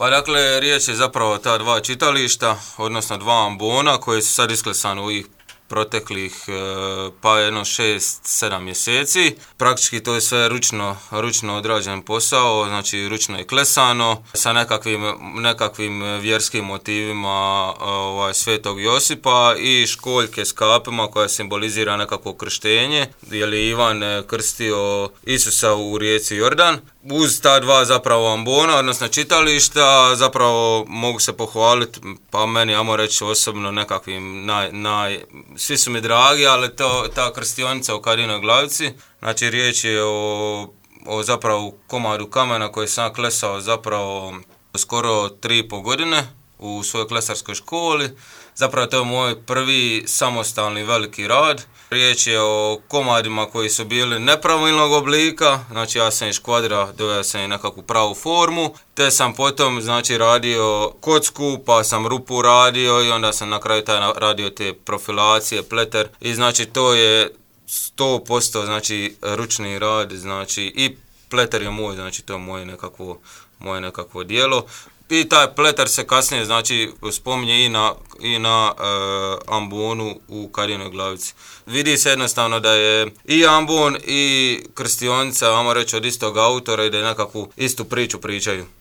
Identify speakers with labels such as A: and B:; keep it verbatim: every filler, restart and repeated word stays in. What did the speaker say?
A: Pa dakle, riječ je zapravo o ta dva čitališta, odnosno dva ambona koji su sad isklesani u ovih proteklih pa jedno šest sedam mjeseci. Praktički to je sve ručno, ručno odrađen posao, znači ručno je klesano sa nekakvim, nekakvim vjerskim motivima ovaj, Svetog Josipa i školjke s kapima koja simbolizira nekakvo krštenje, jer je Ivan krstio Isusa u rijeci Jordan. Uz ta dva zapravo ambona, odnosno čitališta, zapravo mogu se pohvaliti, pa meni, ajmo reći osobno, nekakvim naj, naj, svi su mi dragi, ali to, ta krstionica u Kadinoj Glavici, znači riječ je o, o zapravo komadu kamena koji sam klesao zapravo skoro tri i pol godine u svojoj klesarskoj školi. Zapravo to je moj prvi samostalni veliki rad. Riječ je o komadima koji su bili nepravilnog oblika, znači ja sam iz kvadra doveo sam i nekakvu pravu formu, te sam potom znači radio kocku, pa sam rupu radio i onda sam na kraju taj radio te profilacije, pleter i znači to je sto posto znači ručni rad, znači i pleter je moj, znači to je moje nekakvo, moje nekakvo djelo. I taj pleter se kasnije znači spominje i na, i na e, ambonu u Kadinoj Glavici. Vidi se jednostavno da je i ambon i krstionica, ajmo reći, od istog autora i da je nekakvu istu priču pričaju.